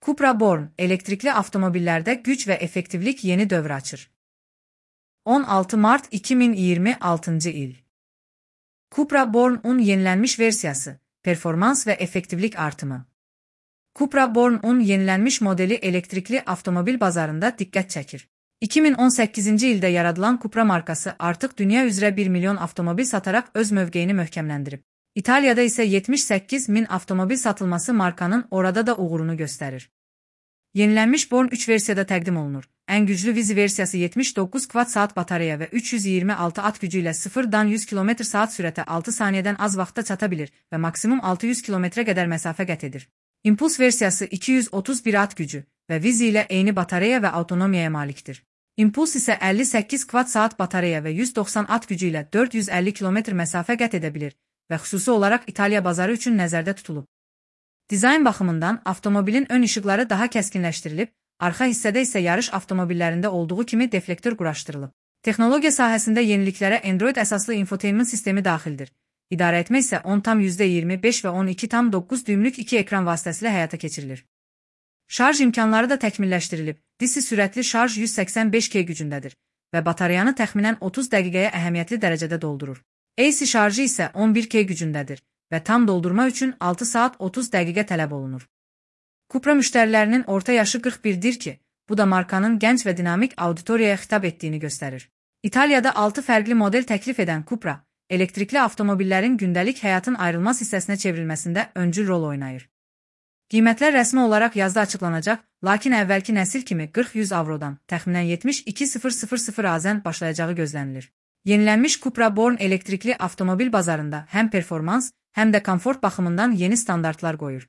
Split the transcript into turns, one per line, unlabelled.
Cupra Born, elektrikli avtomobillərdə güc və effektivlik yeni dövr açır. 16 mart 2026 il. Cupra Born-un yenilənmiş versiyası, performans və effektivlik artımı. Cupra Born-un yenilənmiş modeli elektrikli avtomobil bazarında diqqət çəkir. 2018-ci ildə yaradılan Cupra markası artıq dünya üzrə 1 milyon avtomobil sataraq öz mövqeyini möhkəmləndirib. İtaliyada isə 78 min avtomobil satılması markanın orada da uğurunu göstərir. Yenilənmiş Born 3 versiyada təqdim olunur. Ən güclü Vizi versiyası 79 kWh batareya və 326 at gücü ilə 0-dan 100 km/saat sürətə 6 saniyədən az vaxtda çata bilir və maksimum 600 km qədər məsafə qət edir. Impuls versiyası 231 at gücü və Vizi ilə eyni batareya və avtonomiyaya malikdir. Impuls isə 58 kWh batareya və 190 at gücü ilə 450 km məsafə qət edə bilir və xüsusi olaraq İtaliya bazarı üçün nəzərdə tutulub. Dizayn baxımından avtomobilin ön işıqları daha kəskinləşdirilib, arxa hissədə isə yarış avtomobillərində olduğu kimi deflektor quraşdırılıb. Texnologiya sahəsində yeniliklərə Android əsaslı infotainment sistemi daxildir. İdarəetmə isə 10,25 və 12,9 düymlük 2 ekran vasitəsilə həyata keçirilir. Şarj imkanları da təkmilləşdirilib. DC sürətli şarj 185 kW gücündədir və batareyanı təxminən 30 dəqiqəyə əhəmiyyətli dərəcədə doldurur. AC şarjı isə 11 kW gücündədir və tam doldurma üçün 6 saat 30 dəqiqə tələb olunur. Cupra müştərilərinin orta yaşı 41-dir ki, bu da markanın gənc və dinamik auditoriyaya xitab etdiyini göstərir. İtaliyada 6 fərqli model təklif edən Cupra, elektrikli avtomobillərin gündəlik həyatın ayrılmaz hissəsinə çevrilməsində öncül rol oynayır. Qiymətlər rəsmi olaraq yazda açıqlanacaq, lakin əvvəlki nəsil kimi 40-100 avrodan, təxminən 72,000 azən başlayacağı gözlənilir. Yenilənmiş Cupra Born elektrikli avtomobil bazarında həm performans, həm də komfort baxımından yeni standartlar qoyur.